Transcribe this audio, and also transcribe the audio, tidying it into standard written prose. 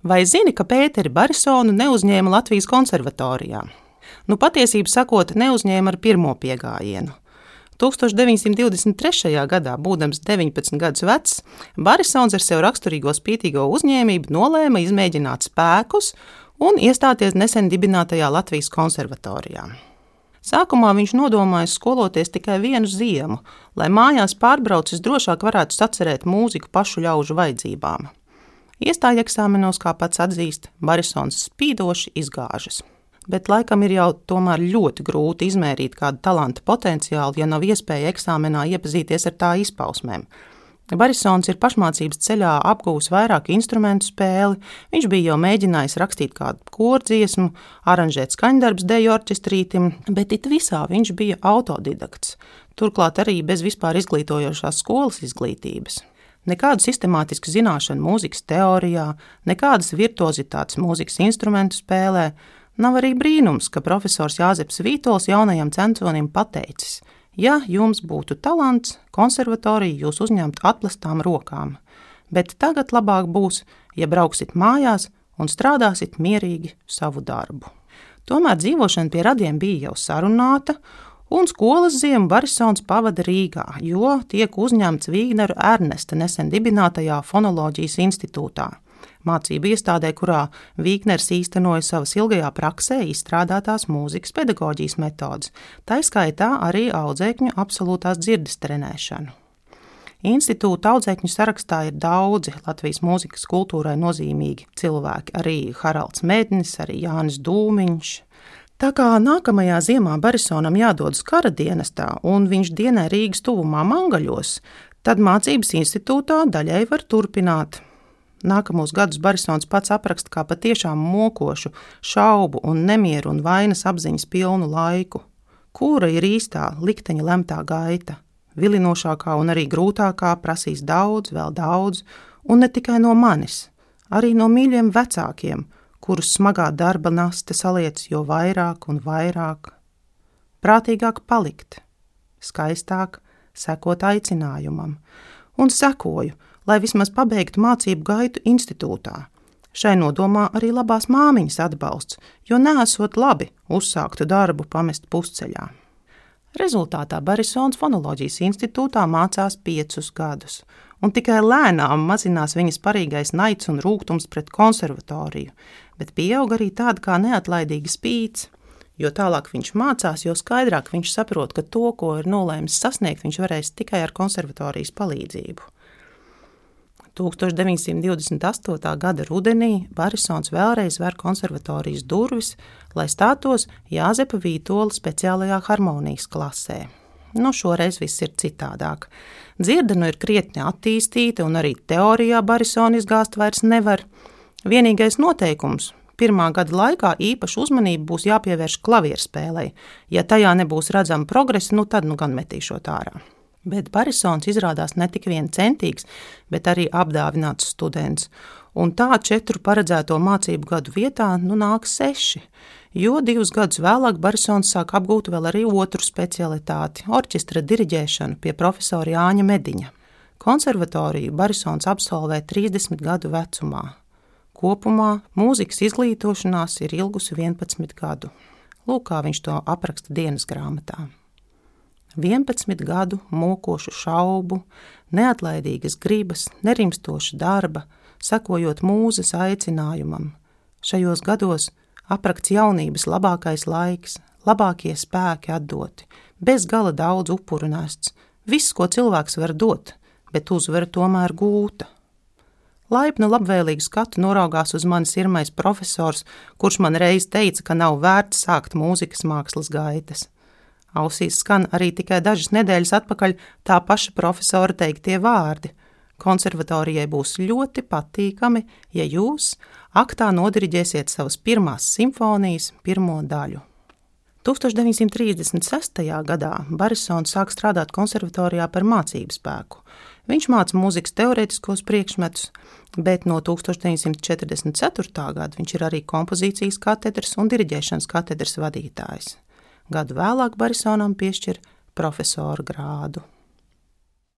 Vai zini, ka Pēteri Barisonu neuzņēma Latvijas konservatorijā? Patiesību sakot, neuzņēma ar pirmo piegājienu. 1923. gadā, būdams 19 gadus vecs, Barisons ar sev raksturīgo spītīgo uzņēmību nolēma izmēģināt spēkus un iestāties nesen dibinātajā Latvijas konservatorijā. Sākumā viņš nodomājis skoloties tikai vienu ziemu, lai mājās pārbraucis drošāk varētu sacerēt mūziku pašu ļaužu vajadzībām. Iestāja eksāmenos, kā pats atzīst, Barisons spīdoši izgāžas. Bet laikam ir jau tomēr ļoti grūti izmērīt kādu talanta potenciālu, ja nav iespēja eksāmenā iepazīties ar tā izpausmēm. Barisons ir pašmācības ceļā apguvis vairāk instrumentu spēli, viņš bija jau mēģinājis rakstīt kādu kordziesmu, aranžēt skaņdarbus deju orķestrītim, bet it visā viņš bija autodidakts, turklāt arī bez vispār izglītojošās skolas izglītības. Nekādu sistemātisku zināšanu mūzikas teorijā, nekādas virtuozitātes mūzikas instrumentu spēlē. Nav arī brīnums, ka profesors Jāzeps Vītols jaunajam censonim pateicis: ja jums būtu talants, konservatoriju jūs uzņemt atplestām rokām, bet tagad labāk būs, ja brauksit mājās un strādāsit mierīgi savu darbu. Tomēr dzīvošana pie radiem bija jau sarunāta, un skolas ziemu Barisons pavada Rīgā, jo tiek uzņemts Vīgneru Ernesta nesen dibinātajā Fonoloģijas institūtā. Mācību iestādē, kurā Vīgners īstenoja savas ilgajā praksē izstrādātās mūzikas pedagoģijas metodes, tā skaitā arī audzēkņu absolūtās dzirdes trenēšanu. Institūta audzēkņu sarakstā ir daudzi Latvijas mūzikas kultūrai nozīmīgi cilvēki, arī Haralds Mednis, arī Jānis Dūmiņš. Tā kā nākamajā ziemā Barisonam jādodas kara dienestā un viņš dienē Rīgas tuvumā Mangaļos, tad mācības institūtā daļai var turpināt. Nākamos gadus Barisons pats apraksta kā patiešām mokošu, šaubu un nemieru un vainas apziņas pilnu laiku. Kura ir īstā likteņa lemtā gaita? Vilinošākā un arī grūtākā prasīs daudz, vēl daudz, un ne tikai no manis, arī no mīļiem vecākiem, kurus smagā darba naste saliec jo vairāk un vairāk. Prātīgāk palikt, skaistāk sekot aicinājumam, un sekoju, lai vismaz pabeigtu mācību gaitu institūtā. Šai nodomā arī labās māmiņas atbalsts, jo neesot labi uzsāktu darbu pamest pusceļā. Rezultātā Barisons Fonoloģijas institūtā mācās 5 gadus, un tikai lēnām mazinās viņas parīgais naids un rūgtums pret konservatoriju, bet pieaug arī tāda kā neatlaidīga spīts. Jo tālāk viņš mācās, jo skaidrāk viņš saprot, ka to, ko ir nolēmis sasniegt, viņš varēs tikai ar konservatorijas palīdzību. 1928. gada rudenī Barisons vēlreiz ver konservatorijas durvis, lai stātos Jāzepa Vītola speciālajā harmonijas klasē. Šoreiz viss ir citādāk. Dzirde ir krietni attīstīta un arī teorijā Barisonu izgāzt vairs nevar. Vienīgais noteikums – pirmā gada laikā īpašu uzmanību būs jāpievērš klavierspēlei. Ja tajā nebūs redzama progresa, tad gan metīšot ārā. Bet Barisons izrādās ne tik vien centīgs, bet arī apdāvināts students. Un tā 4 paredzēto mācību gadu vietā nāk 6, jo 2 gadus vēlāk Barisons sāk apgūt vēl arī otru specialitāti – orķestra diriģēšanu pie profesora Jāņa Mediņa. Konservatoriju Barisons absolvē 30 gadu vecumā. Kopumā mūzikas izglītošanās ir ilgusi 11 gadu. Lūk, kā viņš to apraksta dienas grāmatā. 11 gadu mokošu šaubu, neatlaidīgas gribas, nerimstoša darba, sekojot mūzes aicinājumam. Šajos gados aprakts jaunības labākais laiks, labākie spēki atdoti, bez gala daudz upuru nests, viss, ko cilvēks var dot, bet uzvara tomēr gūta. Laipnu labvēlīgu skatu noraugās uz mani sirmais profesors, kurš man reiz teica, ka nav vērts sākt mūzikas mākslas gaitas. Ausīs skan arī tikai dažas nedēļas atpakaļ tā paša profesora teiktie vārdi. Konservatorijai būs ļoti patīkami, ja jūs aktā nodiriģēsiet savas pirmās simfonijas pirmo daļu. 1936. gadā Barisons sāk strādāt konservatorijā par mācību spēku. Viņš māca mūzikas teorētiskos priekšmetus, bet no 1944. gada viņš ir arī kompozīcijas katedras un diriģēšanas katedras vadītājs. Gadu vēlāk Barisonam piešķir profesora grādu.